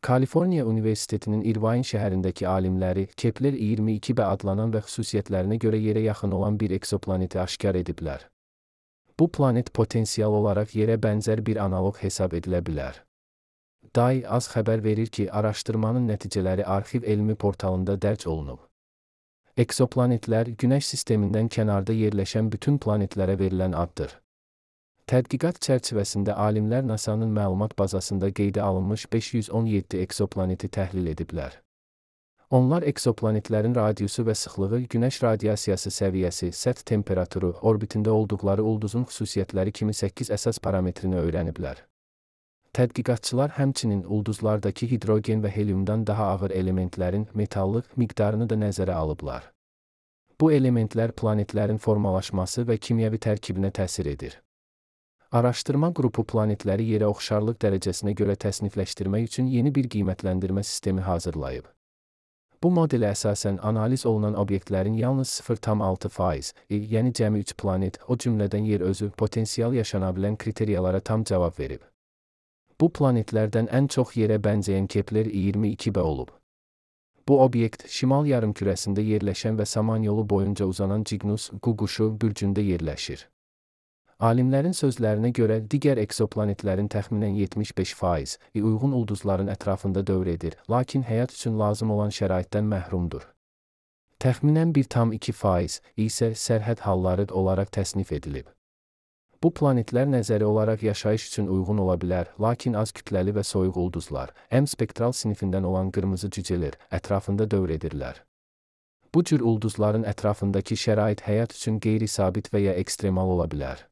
Kaliforniya Universitetinin Irvine şəhərindəki alimləri Kepler 22b adlanan və xüsusiyyətlərinə görə yerə yaxın olan bir eksoplaneti aşkar ediblər. Bu planet potensial olaraq yerə bənzər bir analoq hesab edilə bilər. DAI az xəbər verir ki, araşdırmanın nəticələri arxiv elmi portalında dərc olunub. Eksoplanetlər Günəş sistemindən kənarda yerləşən bütün planetlərə verilən addır. Tədqiqat çərçivəsində alimlər NASA-nın məlumat bazasında qeydə alınmış 517 eksoplaneti təhlil ediblər. Onlar eksoplanetlərin radiusu və sıxlığı, Günəş radiasiyası səviyyəsi, səth temperaturu, orbitində olduqları ulduzun xüsusiyyətləri kimi 8 əsas parametrini öyrəniblər. Tədqiqatçılar həmçinin ulduzlardakı hidrogen və heliumdan daha ağır elementlərin metallıq miqdarını da nəzərə alıblar. Bu elementlər planetlərin formalaşması və kimyəvi tərkibinə təsir edir. Araşdırma qrupu planetləri yerə oxşarlıq dərəcəsinə görə təsnifləşdirmək üçün yeni bir qiymətləndirmə sistemi hazırlayıb. Bu modelə əsasən analiz olunan obyektlərin yalnız 0,6%, yəni cəmi 3 planet, o cümlədən yer özü, potensial yaşana bilən kriteriyalara tam cavab verib. Bu planetlərdən ən çox yerə bənzəyən Kepler 22b olub. Bu obyekt, şimal yarımkürəsində yerləşən və Samanyolu boyunca uzanan Cygnus Quşu bürcündə yerləşir. Alimlərin sözlərinə görə, digər eksoplanetlərin təxminən 75% uyğun ulduzların ətrafında dövr edir, lakin həyat üçün lazım olan şəraitdən məhrumdur. Təxminən 1,2% isə sərhəd halları olaraq təsnif edilib. Bu planetlər nəzəri olaraq yaşayış üçün uyğun ola bilər, lakin az kütləli və soyuq ulduzlar, M spektral sinifindən olan qırmızı cücelər ətrafında dövr edirlər. Bu cür ulduzların ətrafındakı şərait həyat üçün qeyri-sabit və ya ekstremal ola bilər.